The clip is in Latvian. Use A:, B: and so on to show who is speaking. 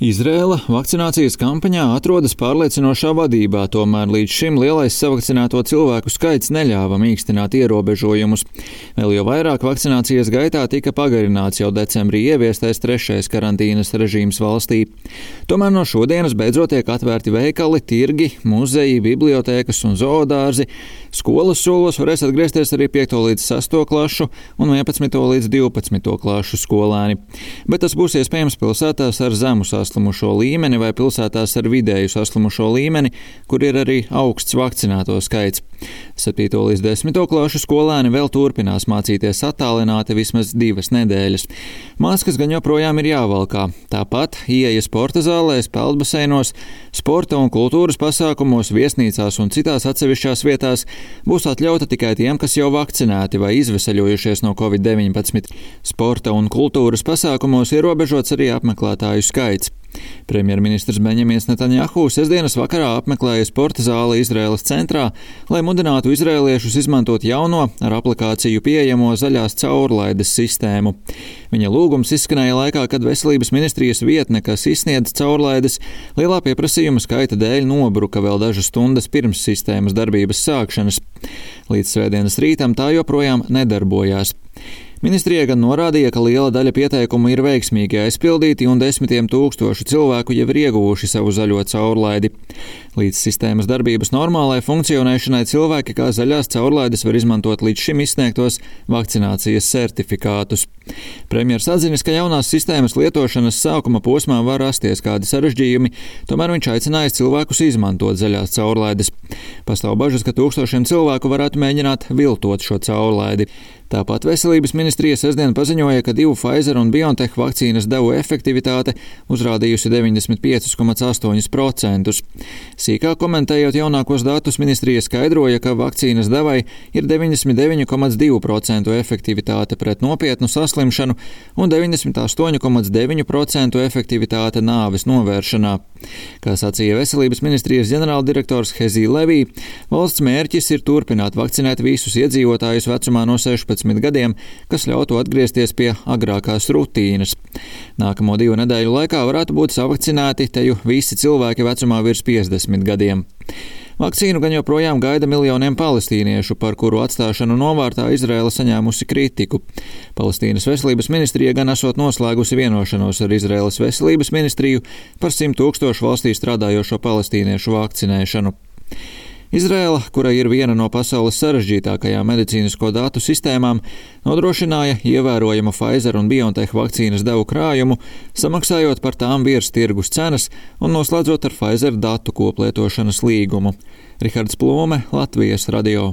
A: Izraēla vakcinācijas kampaņā atrodas pārliecinošā vadībā, tomēr līdz šim lielais savakcinēto cilvēku skaits neļāva mīkstināt ierobežojumus. Vēl jau vairāk vakcinācijas gaitā tika pagarināts jau decembrī ieviestais 3. karantīnas režīms valstī. Tomēr no šodienas beidzot tiek atvērti veikali, tirgi, muzeji, bibliotēkas un zoodārzi. Skolas solos varēs atgriezties arī 5. līdz 6. klašu un 11. līdz 12. klašu skolēni. Bet tas būs iespējams pilsētās ar zemu saslimušo līmeni vai pilsētās ar vidēju saslimušo līmeni, kur ir arī augsts vakcinēto skaits. 7. līdz 10. klašu skolēni vēl turpinās mācīties attālināti vismaz 2 nedēļas. Maskas gan joprojām ir jāvalkā. Tāpat ieeja sporta zālēs, peldbaseinos, sporta un kultūras pasākumos, viesnīcās un citās atsevišķās vietās būs atļauta tikai tiem, kas jau vakcinēti vai izveseļojušies no Covid-19. Sporta un kultūras pasākumos ierobežots arī apmeklētāju skaits. Premjerministrs Beņamins Netanjahu sestdienas vakarā apmeklēja sporta zāli Izraēlas centrā, lai mudinātu izraēliešus izmantot jauno ar aplikāciju pieejamo zaļās caurlaides sistēmu. Viņa lūgums izskanēja laikā, kad veselības ministrijas vietne, kas izsniedz caurlaides, lielā pieprasījuma skaita dēļ nobruka vēl dažas stundas pirms sistēmas darbības sākšanas. Līdz svētdienas rītam tā joprojām nedarbojās. Ministrija gan norādīja, ka liela daļa pieteikumu ir veiksmīgi aizpildīti un 10 000 cilvēku jau ir ieguvuši savu zaļo caurlaidi. Līdz sistēmas darbības normālai funkcionēšanai cilvēki kā zaļās caurlaides var izmantot līdz šim izsniegtos vakcinācijas certifikātus. Premjers atzinis, ka jaunās sistēmas lietošanas sākuma posmā var rasties kādi sarežģījumi, tomēr viņš aicinājis cilvēkus izmantot zaļās caurlaides. Pastāv bažas, ka tūkstošiem cilvēku varētu mēģināt viltot šo caurlaidi. Tāpat veselības ministrija sestdien paziņoja, ka 2 Pfizer un BioNTech vakcīnas devu efektivitāte uzrādījusi 95,8%. Sīkāk komentējot jaunākos datus, ministrija skaidroja, ka vakcīnas devai ir 99,2% efektivitāte pret nopietnu saslimšanu un 98,9% efektivitāte nāves novēršanā. Kā sacīja veselības ministrijas ģenerāldirektors Hezī Levī, valsts mērķis ir turpināt vakcinēt visus iedzīvotājus vecumā no 16 gadiem, kas ļautu atgriezties pie agrākās rutīnas. Nākamo 2 nedēļu laikā varētu būt savakcinēti teju visi cilvēki vecumā virs 50 gadiem. Vakcīnu gan joprojām gaida miljoniem palestīniešu, par kuru atstāšanu novārtā Izraēla saņēmusi kritiku. Palestīnas veselības ministrija gan esot noslēgusi vienošanos ar Izraēlas veselības ministriju par 100 000 valstī strādājošo palestīniešu vakcinēšanu. Izraēla, kura ir viena no pasaules sarežģītākajām medicīnisko datu sistēmām, nodrošināja ievērojamu Pfizer un BioNTech vakcīnas devu krājumu, samaksājot par tām virs tirgus cenas un noslēdzot ar Pfizer datu koplietošanas līgumu. Rihards Plūme, Latvijas radio.